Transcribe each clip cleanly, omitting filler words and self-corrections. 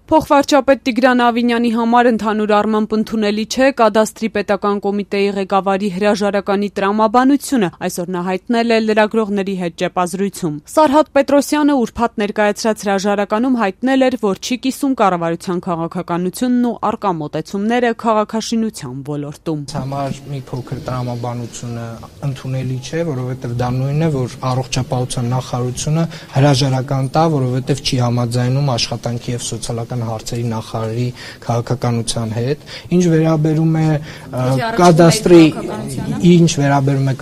Փոխվարչապետ Տիգրան Ավինյանի համար ընդհանուր առմամբ ընդունելի չէ կադաստրի պետական կոմիտեի ղեկավարի հրաժարականի տրամաբանությունը, այսօր նա հայտնել է լրագրողների հետ ճեպազրույցում։ Սարհատ Պետրոսյանը ուրբաթ ներկայացրած հրաժարականում հայտնել էր, որ չի կիսում կառավարության քաղաքականությունն ու առկա մոտեցումները քաղաքաշինության ոլորտում։ Համար մի փոքր տրամաբանությունը ընդունելի չէ, որովհետև դա նույնն է, որ առողջապահության նախարարությունը հրաժարական տա, որովհետև չի համաձայնում աշխատանքի եւ սոցիալական հարցերի նախարարի քաղաքականության հետ, ինչ վերաբերում է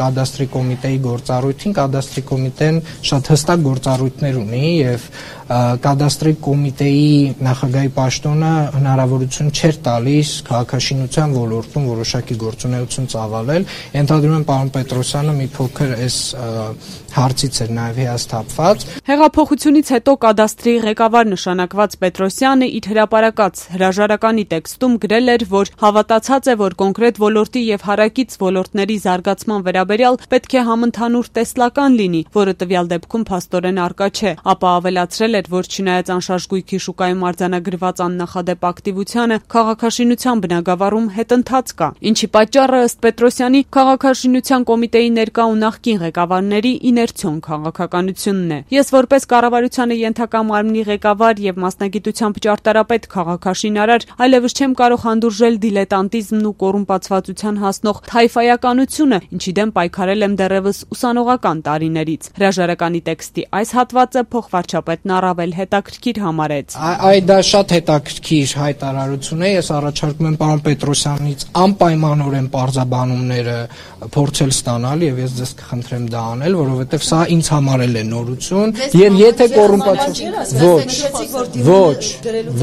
կադաստրի կոմիտեի գործառույթին, կադաստրի կոմիտեն շատ հստակ գործառույթներ ունի եւ կադաստրի կոմիտեի նախագահի պաշտոնը հնարավորություն չէր տալիս քաղաքաշինության ոլորտում որոշակի գործունեություն ծավալել։ Ենթադրում եմ պարոն Պետրոսյանը մի փոքր այս հարցից էր նաեւ հիասթափված։ Հեղափոխությունից հետո կադաստրի ղեկավար նշանակված Պետրոսյանը իր հրապարակած հրաժարականի տեքստում գրել էր, որ հավատացած է, որ կոնկրետ ոլորտի եւ հարակից ոլորտների զարգացման վերաբերյալ պետք է համընդհանուր տեսլական լինի, որը տվյալ դեպքում փաստորեն արկա չէ, ապա ավելացրել էր, որ չնայած անշարժ գույքի շուկայում արձանագրված աննախադեպ ակտիվությանը, քաղաքաշինության բնագավառում հետընթաց կա, ինչի պատճառը ըստ Պետրոսյանի քաղաքաշինության կոմիտեի ներկա ու նախկին ղեկավարների իներցիոն քաղաքականությունն է։ Ես որպես կառավարությանը ենթակա մարմնի ղեկավար եւ մասնագիտությամբ ճարտարապետ քաղաքաշինարար այլևս չեմ կարող հանդուրժել դիլետանտիզմն ու կոռումպացվածության հասնող թայֆայականությունը, ինչի դեմ պայքարել եմ դեռևս ուսանողական տարիներից։ Հրաժարականի տեքստի այս հատվածը փոխվարչապետն առավել հետաքրքիր համարեց։ Դա շատ հետաքրքիր հայտարարություն է։ Ես առաջարկում եմ պարոն Պետրոսյանից անպայմանորեն պարզաբանումները փորձել ստանալ եւ ես ձեզ կխնդրեմ դա անել, որովհետեւ սա ինձ համար էլ է նորություն եւ եթե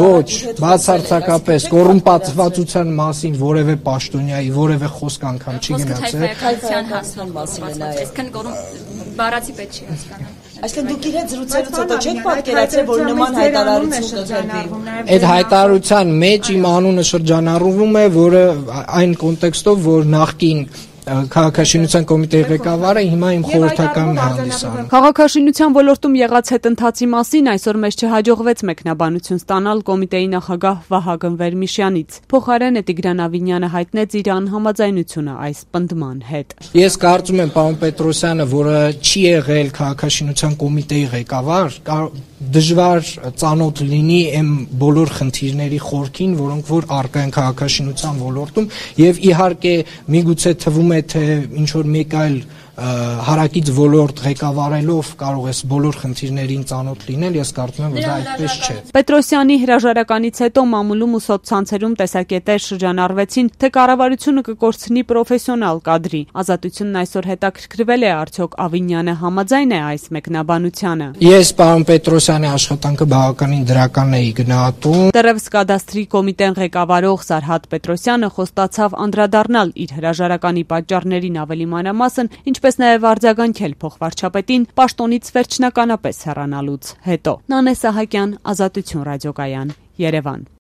ոչ, բացարձակապես կոռումպացվածության մասին որևէ պաշտոնյայի որևէ խոսք անգամ չի գնացել։ Բառացի պետք չի հասկանալ։ Այսինքն դուք իրենց զրուցելուց հետո չեք պատկերացրել, որ նման հայտարարություն կգրվի։ Այդ հայտարարության մեջ իմ անունը շրջանառվում է, որը այն կոնտեքստով, որ նախկին քաղաքաշինության կոմիտեի ղեկավարը հիմա իմ խորհրդականն է հանդիսանում։ Քաղաքաշինության ոլորտում եղած հետընթացի մասին այսօր մեզ չհաջողվեց մեկնաբանություն ստանալ կոմիտեի նախագահ Վահագն Վերմիշյանից։ Փոխարենը Տիգրան Ավինյանը հայտնեց իր անհամաձայնությունը այս պնդման հետ։ Ես կարծում եմ պարոն Պետրոսյանը, որը չի եղել քաղաքաշինության կոմիտեի ղեկավար, դժվար ծանոթ լինի այն բոլոր խնդիրների խորքին, որոնք որ առկա են քաղաքաշինության ոլորտում եւ իհարկե միգուցե թվում է թե ինչ որ մեկ այլ հարակից ոլորտ ղեկավարելով կարող ես բոլոր խնդիրներին ծանոթ լինել, ես կարծում եմ, որ դա այդպես չէ։ Պետրոսյանի հրաժարականից հետո մամուլում ու սոցցանցերում տեսակետեր շրջանառվեցին, թե կառավարությունը կկորցնի պրոֆեսիոնալ կադրի։ Ազատությունն այսօր հետաքրքրվել է արդյոք Ավինյանը համաձայն է այս մեկնաբանությանը։ Ես պարոն Պետրոսյանի աշխատանքը բավականին դրական էի գնահատում։ Դեռևս կադաստրի կոմիտեն ղեկավարող Սարհատ Պետրոսյանը խոստացավ անդրադառնալ իր հրաժարականի պատճառներին ավելի մանրամասն, ինչպես նաև արձագանքել փոխվարչապետին պաշտոնից վերջնականապես հեռանալուց հետո։ Նանե Սահակյան, Ազատություն ռադիոկայան, Երևան։